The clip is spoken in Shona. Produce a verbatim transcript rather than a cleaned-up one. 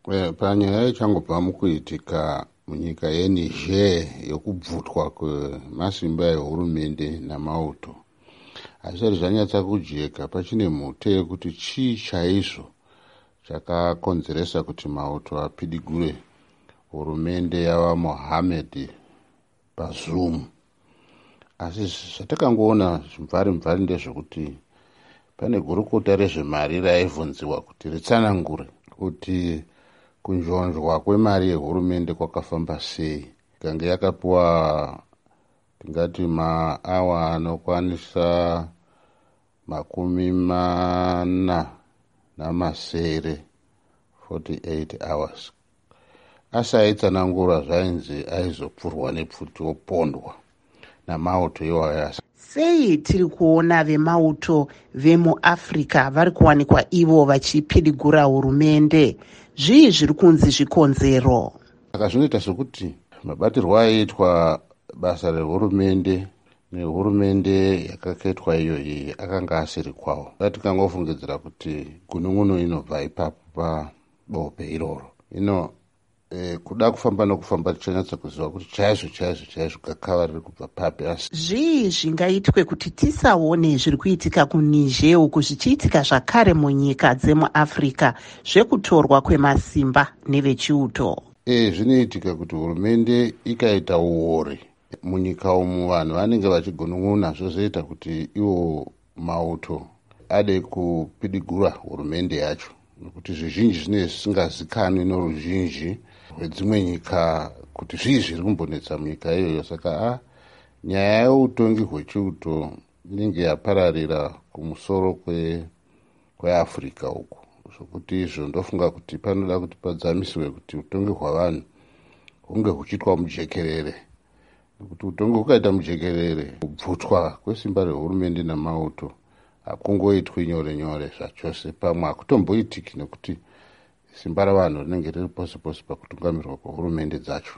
Eh, panyaya ichangobva mukuitika munyika yeNiger yokubvutwa kwemasimba ehurumende namauto, hazvisati zvanyatsa kujeka. Pachine mhute yekuti chii chaizvo chakakonzeresa kuti mauto apidigure hurumende yavaMohamed Bazoum. Asi zvatakangoona zvimvari mvari ndezvekuti pane gurukota rezvemari raibvunziwa kuti ritsanangure kuti kunjonjwa kwemari yehurumende kwakafamba sei. Ikange yakapiwa, tingati, maawa anokwanisa makumi mana namasere, forty-eight hours, asi aitsanangura zvainzi aizopfurwa nepfuti opondwa namauto iwayo. Sei tiri kuona vemauto vemuAfrica vari kuwanikwa ivo vachipidigura hurumende? Zvii zviri kunzi zvikonzero? Saka zvinoita sekuti mabatirwo aiitwa basa rehurumende nehurumende yakaketwa iyoyi akanga asiri kwawo. Tikangofungidzira kuti gunun'unu inobva ipapo pabope iroro. Ino e, kuda kufamba nokufamba tichanyatsa kuziva kuti chaizvo chaizvo chaizvo gakava riri kubva papi. Asi Zvii zvingaitwe kuti tisaone zviri kuitika kuNiger uku zvichiitika zvakare munyika dzemuAfrica, zvekutorwa kwemasimba nevechiuto? e zvinoitika kuti hurumende ikaita uori munyika umu, vanhu vanenge vachigunun'una, zvozoita kuti iwo mauto ade kupidigura hurumende yacho, nekuti zvizhinji zvinenge zvisingazikanwi noruzhinji rwedzimwe nyika kuti zvii zviri kumbonetsa munyika iyoyo. Saka a nyaya yeutongi hwechiuto inenge yapararira kumusoro kweAfrica uku, zvokuti izvo ndofunga kuti panoda kuti padzamisiwe kuti utongi hwavanhu hunge huchiitwa mujekerere, nekuti utongi hukaita mujekerere, kubvutwa kwesimba rehurumende namauto hakungoitwi nyore nyore zvachose, pamwe hakutomboitiki, nekuti simba ravanhu rinenge riri pose pose pakutungamirwa kwehurumende dzacho.